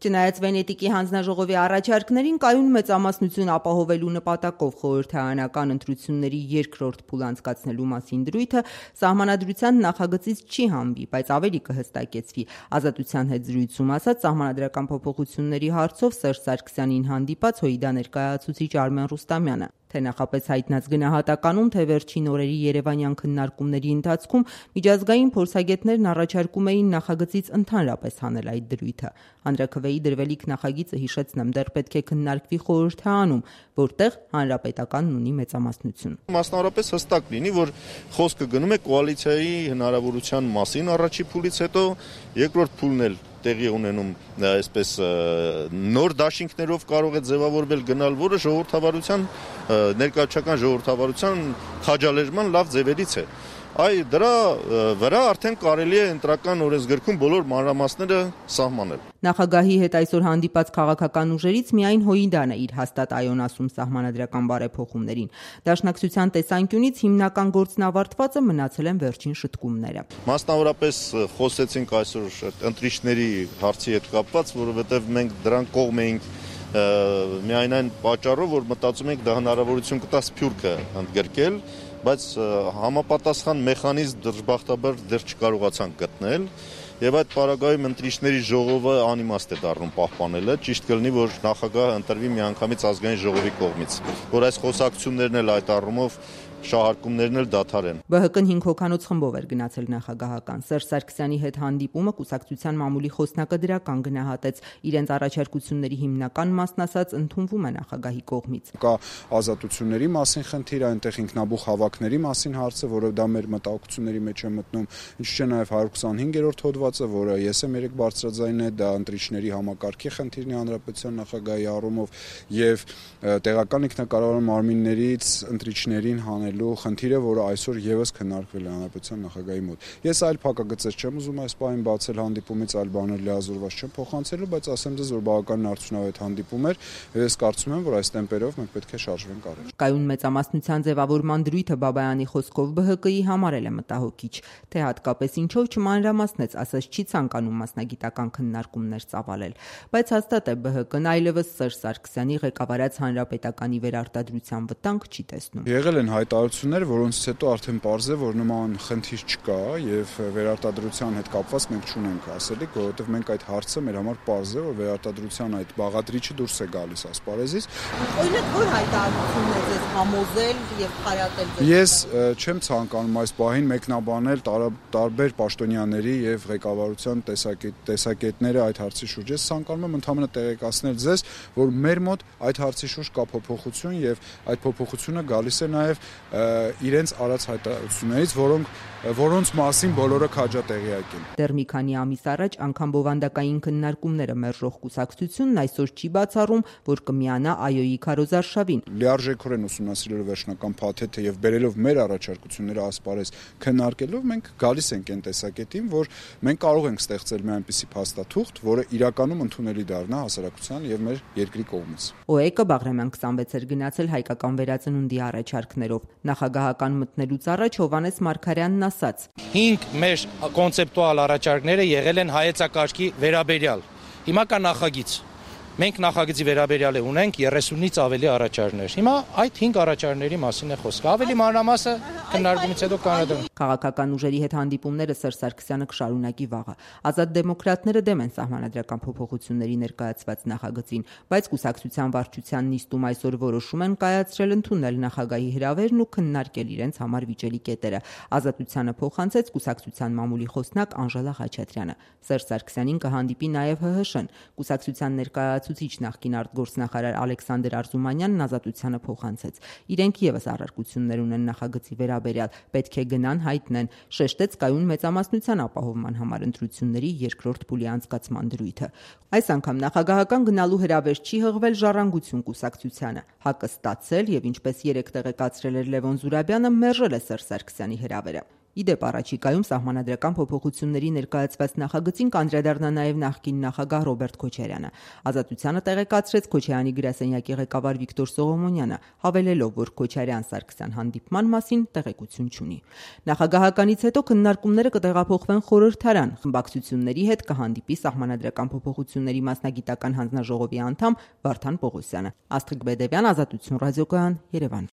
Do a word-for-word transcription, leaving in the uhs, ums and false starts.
Չնայած Վենետիկի հանձնաժողովի առաջարկներին կայուն մեծամասնություն ապահովելու նպատակով խորհրդարանական ընտրությունների երկրորդ փուլ անցկացնելու մասին դրույթը սահմանադրության նախագծից չի հանվի, բայց ավելի կհստակեցվի։ Ազատության հետ զրույցում ասաց սահմանադրական փոփոխությունների հարցով Սերժ Սարգսյանին հանդիպած ՀՅԴ ներկայացուցիչ Արմեն Ռուստամյանը։ Թե նախապես հայտնած գնահատականում, թե վերջին օրերի երևանյան քննարկումների ընթացքում միջազգային փորձագետներն առաջարկում էին նախագծից ընդհանրապես հանել այդ դրույթը։ Հանրաքվեի դրվելիք նախագիծը, հիշեցնեմ, դեռ պետք է քննարկվի խորհրդարանում, որտեղ հանրապետականն ունի մեծամասնություն։ Մասնավորապես հստակ լինի, որ խոսքը գնում է կոալիցիայի հնարավորության մասին առաջի փուլից հետո, երկրորդ փուլն էլ տեղի ունենում այսպես նոր դաշինքներով կարող է ձևավորվել գնալ, որը ժողովրդավարության ներկայացական ժողովրդավարության քաջալերման լավ ձևերից է։ Այ դրա վրա արդեն կարելի է ընտրական օրենսգրքում բոլոր մանրամասները սահմանել։ Նախագահի հետ այսօր հանդիպած քաղաքական ուժերից միայն ՀՅԴ-ն է իր հաստատ այոն ասում սահմանադրական բարեփոխումներին։ Դաշնակցության տեսանկյունից հիմնական գործն ավարտվածը մնացել են վերջին շտկումները։ Մասնավորապես խոսեցինք այսօր ընտրիչների հարցի հետ կապված, որովհետև մենք դրան կողմ էինք միայն այն պատճառով, որ մտածում ենք դա հնարավորություն կտա սփյուռքը ընդգրկել, բայց համապատասխան մեխանիզմ դժբախտաբար դեռ չկարողացանք գտնել, եւ այդ պարագայում ընտրիչների ժողովը անիմաստ է դառնում պահպանելը, ճիշտ կլինի, որ նախագահը ընտրվի միանգամից ազգային ժողովի կողմից, որ այս խոսակցություններն էլ այդ առումով շահարկումներն էլ դադարեն։ ԲՀԿ-ն հինգ հոգանոց խմբով էր գնացել նախագահական։ Սերժ Սարգսյանի հետ հանդիպումը կուսակցության մամուլի խոսնակը դրական գնահատեց։ Իրենց առաջարկությունների հիմնական մասն ասած ընդունվում է նախագահի կողմից։ Կա ազատությունների մասին խնդիր, այնտեղ ինքնաբուխ հավաքների մասին հարցը, որը դա մեր մտահոգությունների մեջ է մտնում, ինչու՞ չէ նաև հարյուր քսանհինգերորդ հոդվածը, որը ես եմ երեք բարձրաձայն է, դա ընտրիչների համակարգի խնդիրն է հանրապետության նախագահի առումով եւ տեղական ինքնակառավարման մարմիններից ընտրիչներին հանելու խնդիրը, որը այսօր եւս քննարկվել է հանրապետության նախագահի մոտ։ Ես այլ փակագծեր չեմ ուզում այս պահին բացել հանդիպումից, այլ բաներ լիազորված չեմ փոխանցելու, բայց ասեմ ձեզ, որ բավականին արդյունավետ հանդիպում էր, եւ ես կարծում եմ, որ այս տեմպերով մենք պետք է շարժվենք առաջ։ Կայուն մեծամասնության ձևավորման դրույթը Բաբայանի խոսքով ԲՀԿ-ի համար էլ է մտահոգիչ, թե հատկապես ինչով չմանրամասնեց, ասած չի ցանկանում մասնագիտական քննարկումներ ծավալել, բայց հաստատ է ԲՀԿ-ն այլևս Սերժ Սարգսյանի ղեկավարած հանրապետականի վերարտադրության վտանգ չի տեսնում։ Եղել են հայտարարություններ, որոնցից հետո արդեն պարզ է, որ նման խնդիր չկա եւ վերարտադրության հետ կապված մենք չունենք ասելիք, որովհետեւ մենք այդ հարցը մեր համար պարզ է, որ վերարտադրության այդ բաղադրիչը դուրս է գալիս ասպարեզից։ Օրինակ, որ հայտարարությունն է ձեզ համոզել եւ խարատել։ Ես չեմ ցանկանում այս պահին մեկնաբանել տարբեր պաշտոնյաների եւ ղեկավարության տեսակետները այդ հարցի շուրջ։ Ես ցանկանում եմ ընդհանրապես տեղեկացնել ձեզ, որ մեր մոտ այդ հարցի շուրջ կա փոփոխություն եւ այդ փոփոխությունը գալիս է նաեւ իրենց արած հայտարարություններից, որոնք որոնց մասին բոլորը քաջատեղյակ են։ Դեռ մի քանի ամիս առաջ անգամ բովանդակային քննարկումները մերժող կուսակցությունն այսօր չի բացառում, որ կմիանա ԱՅՈ-ի քարոզարշավին։ Լիարժեքորեն ուսումնասիրելով վերջնական փաթեթը եւ բերելով մեր առաջարկությունները ասպարեզ քննարկելով, մենք գալիս ենք այն տեսակետին, որ մենք կարող ենք ստեղծել մի այնպիսի փաստաթուղթ, որը իրականում ընդունելի դառնա հասարակության եւ մեր երկրի կողմից։ ՕԵԿ-ը Բաղրամյան քսանվեց էր գնացել հայկական վերածնունդի առաջարկներով։ Նախագահական մտնելուց առաջ Հովհաննես Մարգարյանն ասաց. Հինգ մեր կոնցեպտուալ առաջարկները եղել են հայեցակարգի վերաբերյալ։ Հիմա կա նախագիծ։ Մենք նախագծի վերաբերյալ ունենք երեսունից ավելի առաջարկներ։ Հիմա այդ հինգ առաջարկների մասին է խոսքը։ Ավելի մանրամասը քննարկումից հետո կանոնադրվում։ Քաղաքական ուժերի հետ հանդիպումները Սերժ Սարգսյանը կշարունակի վաղը։ Ազատ դեմոկրատները դեմ են սահմանադրական փոփոխությունների ներկայացված նախագծին, բայց կուսակցության վարչության նիստում այսօր որոշում են կայացրել ընդունել նախագահի հրավերն ու քննարկել իրենց համար վիճելի կետերը։ Ազատությանը փոխանցեց կուսակցության մամուլի խոսնակ Անժելա Խաչատրյանը։ Սերժ Սարգսյանին կհանդիպի նաև ՀՀՇ-ն։ Կուսակցության ներկայացուցիչ նախկին արտգործնախարար Ալեքսանդր Արզումանյանն Ազատությանը փոխանցեց։ Իրենք եւս առարկություններ ունեն նախագծի վերաբերյալ, պետք է գնան հայտնեն, շեշտեց կայուն մեծամասնության ապահովման համար ընտրությունների երկրորդ փուլի անցկացման դրույթը։ Այս անգամ նախագահական գնալու հրավեր չի հղվել Ժառանգություն կուսակցությանը։ ՀԱԿ-ը ստացել եւ ինչպես երեք տեղեկացրել էր Լևոն Զուրաբյանը, մերժել է Սերժ Սարգսյանի հրավերը։ Ի դեպ, առաջիկայում սահմանադրական փոփոխությունների ներկայացված նախագծին կանդրադառնա նաև նախկին նախագահ Ռոբերտ Քոչարյանը։ Ազատությանը տեղեկացրեց Քոչարյանի գրասենյակի ղեկավար Վիկտոր Սողոմոնյանը, հավելելով, որ Քոչարյան-Սարգսյան հանդիպման մասին տեղեկություն չունի։ Նախագահականից հետո քննարկումները կտեղափոխվեն խորհրդարան, խմբակցությունների հետ կհանդիպի սահմանադրական փոփոխությունների մասնագիտական հանձնաժողովի անդամ Վարդան Պողոսյանը։ Աստղիկ Բեդևյան, Ազատություն ռադիոկայան, Երևան։